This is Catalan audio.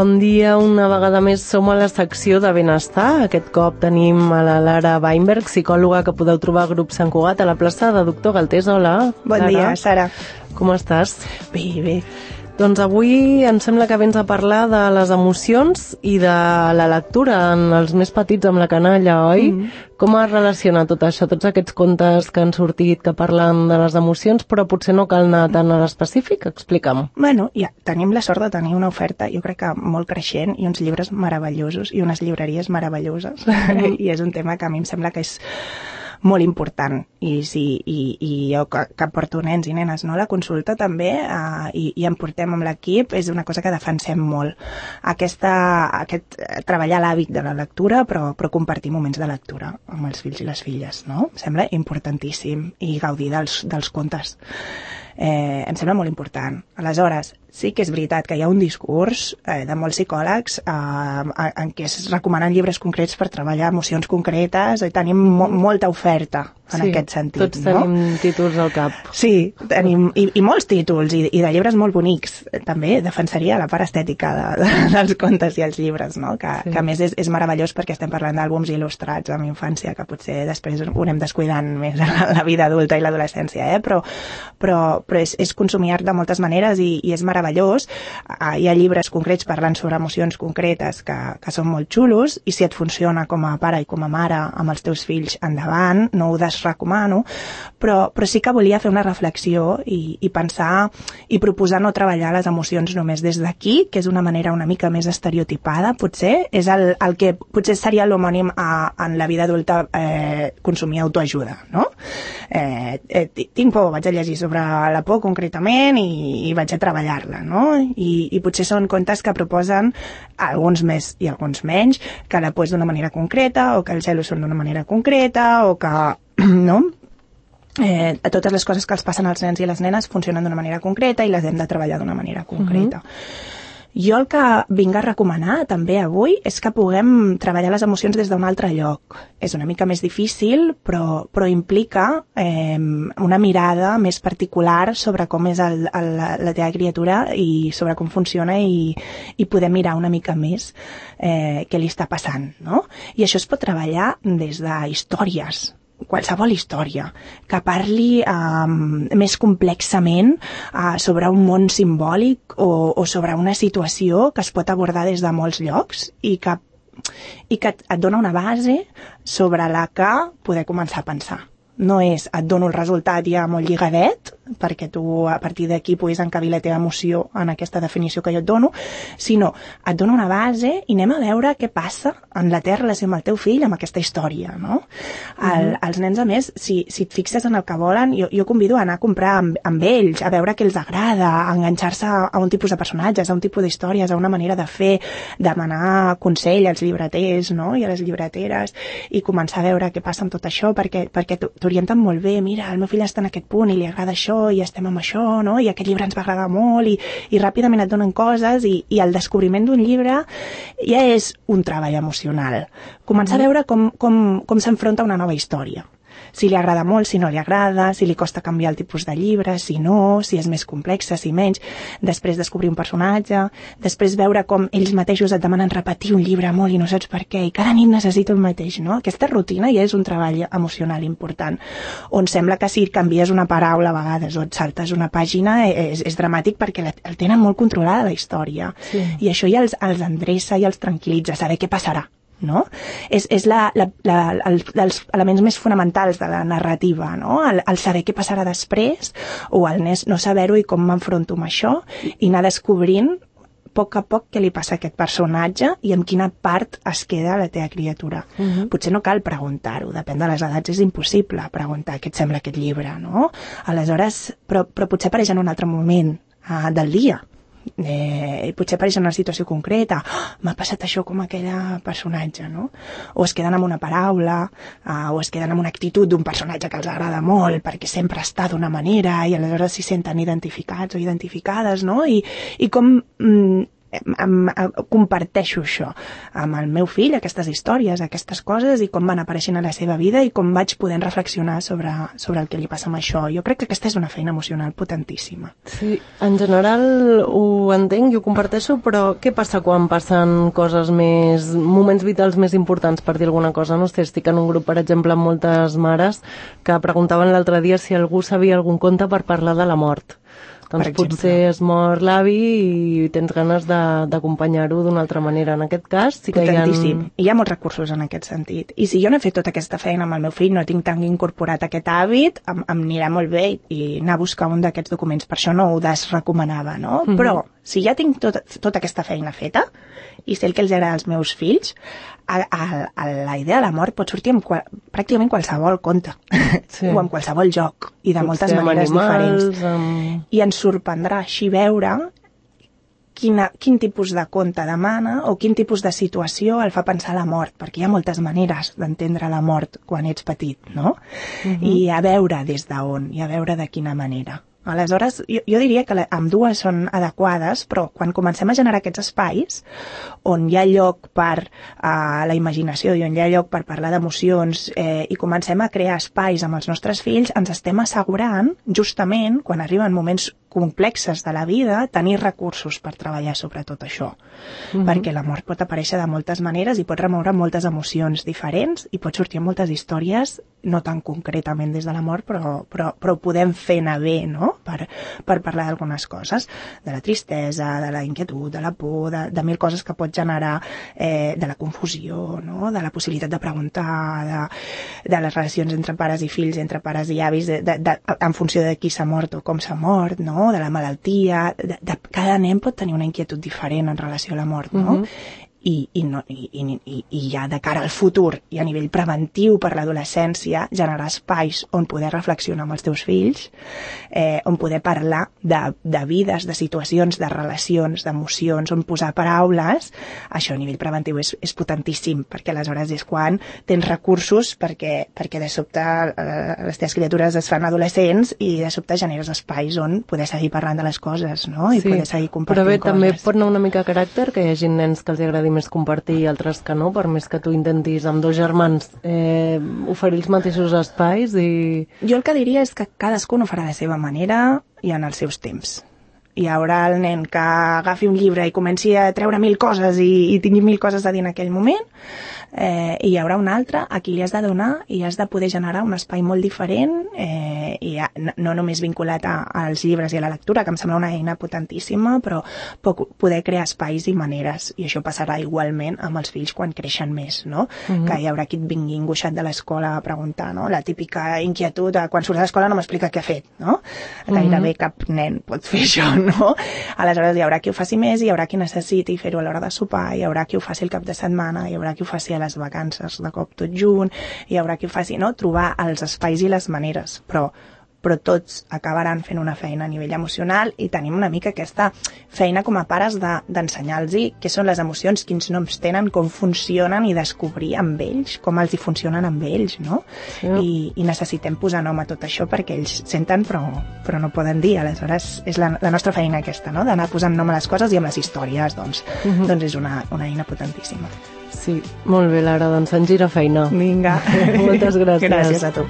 Bon dia, una vegada més som a la secció de benestar. Aquest cop tenim a la Lara Weinberg, psicòloga que podeu trobar al grup Sant Cugat a la plaça de Doctor Galtés. Hola, Bon dia, Sara. Com estàs? Bé, bé. Doncs avui em sembla que vens a parlar de les emocions i de la lectura en els més petits amb la canalla, oi? Com es relaciona tot això, tots aquests contes que han sortit que parlen de les emocions, però potser no cal anar tan a l'específic? Explica'm. Bueno, ja, tenim la sort de tenir una oferta, jo crec que molt creixent, i uns llibres meravellosos, i unes llibreries meravelloses, i és un tema que a mi em sembla que és molt important, i jo que porto nens i nenes no, a la consulta també, i em portem amb l'equip, és una cosa que defensem molt. Treballar l'hàbit de la lectura, però compartir moments de lectura amb els fills i les filles, no? Em sembla importantíssim, i gaudir dels contes. Em sembla molt important. Aleshores, sí que és veritat que hi ha un discurs de molts psicòlegs en què es recomanen llibres concrets per treballar emocions concretes, i tenim molta oferta en aquest sentit. Tots tenim títols al cap. Sí, tenim, i molts títols, i de llibres molt bonics. També defensaria la part estètica dels contes i els llibres, no? Que a més és meravellós perquè estem parlant d'àlbums il·lustrats amb infància, que potser després ho anem descuidant més en la vida adulta i l'adolescència, però és consumir art de moltes maneres i és meravellós. Hi ha llibres concrets parlant sobre emocions concretes que són molt xulos, i si et funciona com a pare i com a mare amb els teus fills, endavant, no ho desrecomano, però sí que volia fer una reflexió i pensar i proposar no treballar les emocions només des d'aquí, que és una manera una mica més estereotipada, potser, és el que potser seria l'homònim en la vida adulta, consumir autoajuda, no? Tinc por, vaig a llegir sobre la por concretament i vaig a treballar-la, no? I potser són contes que proposen alguns més i alguns menys, que la por és d'una manera concreta, o que els celos són d'una manera concreta, o que, no? Totes les coses que els passen als nens i les nenes funcionen d'una manera concreta i les hem de treballar d'una manera concreta. Jo el que vinc a recomanar també avui és que puguem treballar les emocions des d'un altre lloc. És una mica més difícil, però implica una mirada més particular sobre com és la teva criatura i sobre com funciona, i poder mirar una mica més què li està passant, no? I això es pot treballar des de històries, qualsevol història, que parli més complexament sobre un món simbòlic o sobre una situació que es pot abordar des de molts llocs i que et dona una base sobre la que poder començar a pensar. No és et dono el resultat ja molt lligadet, perquè tu a partir d'aquí puguis encabir la teva emoció en aquesta definició que jo et dono, sinó et dono una base i anem a veure què passa en la teva relació amb el teu fill amb aquesta història, no? Els nens, a més, si et fixes en el que volen, jo convido a anar a comprar amb ells, a veure què els agrada, a enganxar-se a un tipus de personatges, a un tipus d'històries, a una manera de fer, demanar consell als llibreters, no? I a les llibreteres, i començar a veure què passa amb tot això, perquè t'orienten molt bé. Mira, el meu fill està en aquest punt i li agrada això, i estem amb això, no? I aquest llibre ens va agradar molt, i ràpidament et donen coses, i el descobriment d'un llibre ja és un treball emocional. Començar a veure com s'enfronta a una nova història. Si li agrada molt, si no li agrada, si li costa canviar el tipus de llibre, si no, si és més complexa, si menys. Després descobrir un personatge, després veure com ells mateixos et demanen repetir un llibre molt i no saps per què, i cada nit necessita el mateix, no? Aquesta rutina ja és un treball emocional important, on sembla que si canvies una paraula a vegades o et saltes una pàgina és dramàtic perquè el tenen molt controlada la història. Sí. I això ja els endreça i els tranquil·litza, saber què passarà, no? És dels elements més fonamentals de la narrativa, no? El saber què passarà després, o el no saber-ho i com m'enfronto amb això, i anar descobrint a poc què li passa a aquest personatge i en quina part es queda la teva criatura. Potser no cal preguntar-ho, depèn de les edats, és impossible preguntar què et sembla aquest llibre, no? Aleshores, però potser apareix en un altre moment del dia. Potser apareix en una situació concreta, m'ha passat això com aquella personatge, no? O es queden amb una paraula, o es queden amb una actitud d'un personatge que els agrada molt perquè sempre està d'una manera, i aleshores s'hi senten identificats o identificades, no? I com comparteixo això amb el meu fill, aquestes històries, aquestes coses, i com van apareixent a la seva vida i com vaig podent reflexionar sobre el que li passa amb això. Jo crec que aquesta és una feina emocional potentíssima. Sí, en general ho entenc i ho comparteixo, però què passa quan passen coses més, moments vitals més importants, per dir alguna cosa? No sé, estic en un grup, per exemple, amb moltes mares que preguntaven l'altre dia si algú sabia algun conte per parlar de la mort. Doncs potser es mor l'avi i tens ganes d'acompanyar-ho d'una altra manera. En aquest cas sí que potentíssim. Hi ha molts recursos en aquest sentit. I si jo no he fet tota aquesta feina amb el meu fill, no tinc tan incorporat aquest hàbit, em anirà molt bé i anar a buscar un d'aquests documents. Per això no ho desrecomanava, no? Però si ja tinc tota aquesta feina feta i sé el que els agrada als meus fills, la idea de la mort pot sortir amb pràcticament qualsevol conte o amb qualsevol joc i de moltes maneres diferents. I ens sorprendrà així veure quin tipus de conte demana o quin tipus de situació el fa pensar la mort, perquè hi ha moltes maneres d'entendre la mort quan ets petit, no? I a veure des d'on, i a veure de quina manera. Aleshores, jo diria que ambdues són adequades, però quan comencem a generar aquests espais on hi ha lloc per la imaginació i on hi ha lloc per parlar d'emocions i comencem a crear espais amb els nostres fills, ens estem assegurant, justament, quan arriben moments complexes de la vida, tenir recursos per treballar sobre tot això. Perquè la mort pot aparèixer de moltes maneres i pot remoure moltes emocions diferents i pot sortir moltes històries, no tan concretament des de la mort, però ho podem fer anar bé, no? Per parlar d'algunes coses, de la tristesa, de la inquietud, de la por, de mil coses que pot generar, de la confusió, no? De la possibilitat de preguntar, de les relacions entre pares i fills, entre pares i avis, en funció de qui s'ha mort o com s'ha mort, no? De la malaltia, cada nen pot tenir una inquietud diferent en relació a la mort, no? I ja de cara al futur i a nivell preventiu per l'adolescència generar espais on poder reflexionar amb els teus fills, on poder parlar de vides, de situacions, de relacions, d'emocions, on posar paraules, això a nivell preventiu és potentíssim, perquè aleshores és quan tens recursos perquè de sobte les teves criatures es fan adolescents i de sobte generes espais on poder seguir parlant de les coses, no? I poder seguir compartint coses. Però bé, també pot anar una mica a caràcter, que hi hagi nens que els agradi més compartir i altres que no, per més que tu intentis amb dos germans oferir els mateixos espais i... Jo el que diria és que cadascun ho farà de la seva manera i en els seus temps. Hi haurà el nen que agafi un llibre i comenci a treure 1000 coses i tingui 1000 coses a dir en aquell moment, i hi haurà un altre a qui li has de donar i has de poder generar un espai molt diferent, i no només vinculat als llibres i a la lectura, que em sembla una eina potentíssima, però poder crear espais i maneres, i això passarà igualment amb els fills quan creixen més, no? Que hi haurà qui et vingui angoixat de l'escola a preguntar, no? La típica inquietud de quan surts de l'escola no m'explica què ha fet, no? Gairebé cap nen pot fer això, no? Aleshores hi haurà qui ho faci més, hi haurà qui necessiti fer-ho a l'hora de sopar, hi haurà qui ho faci el cap de setmana, hi haurà qui ho faci a les vacances de cop tot junt, hi haurà qui ho faci, no? Trobar els espais i les maneres, però tots acabaran fent una feina a nivell emocional i tenim una mica aquesta feina com a pares d'ensenyar-los què són les emocions, quins noms tenen, com funcionen i descobrir amb ells, com els hi funcionen amb ells, no? I necessitem posar nom a tot això perquè ells senten però no poden dir, aleshores és la nostra feina aquesta, no? D'anar posant nom a les coses i amb les històries, doncs és una eina potentíssima. Sí, molt bé, Lara, doncs ens gira feina. Vinga. Moltes gràcies. Gràcies a tu.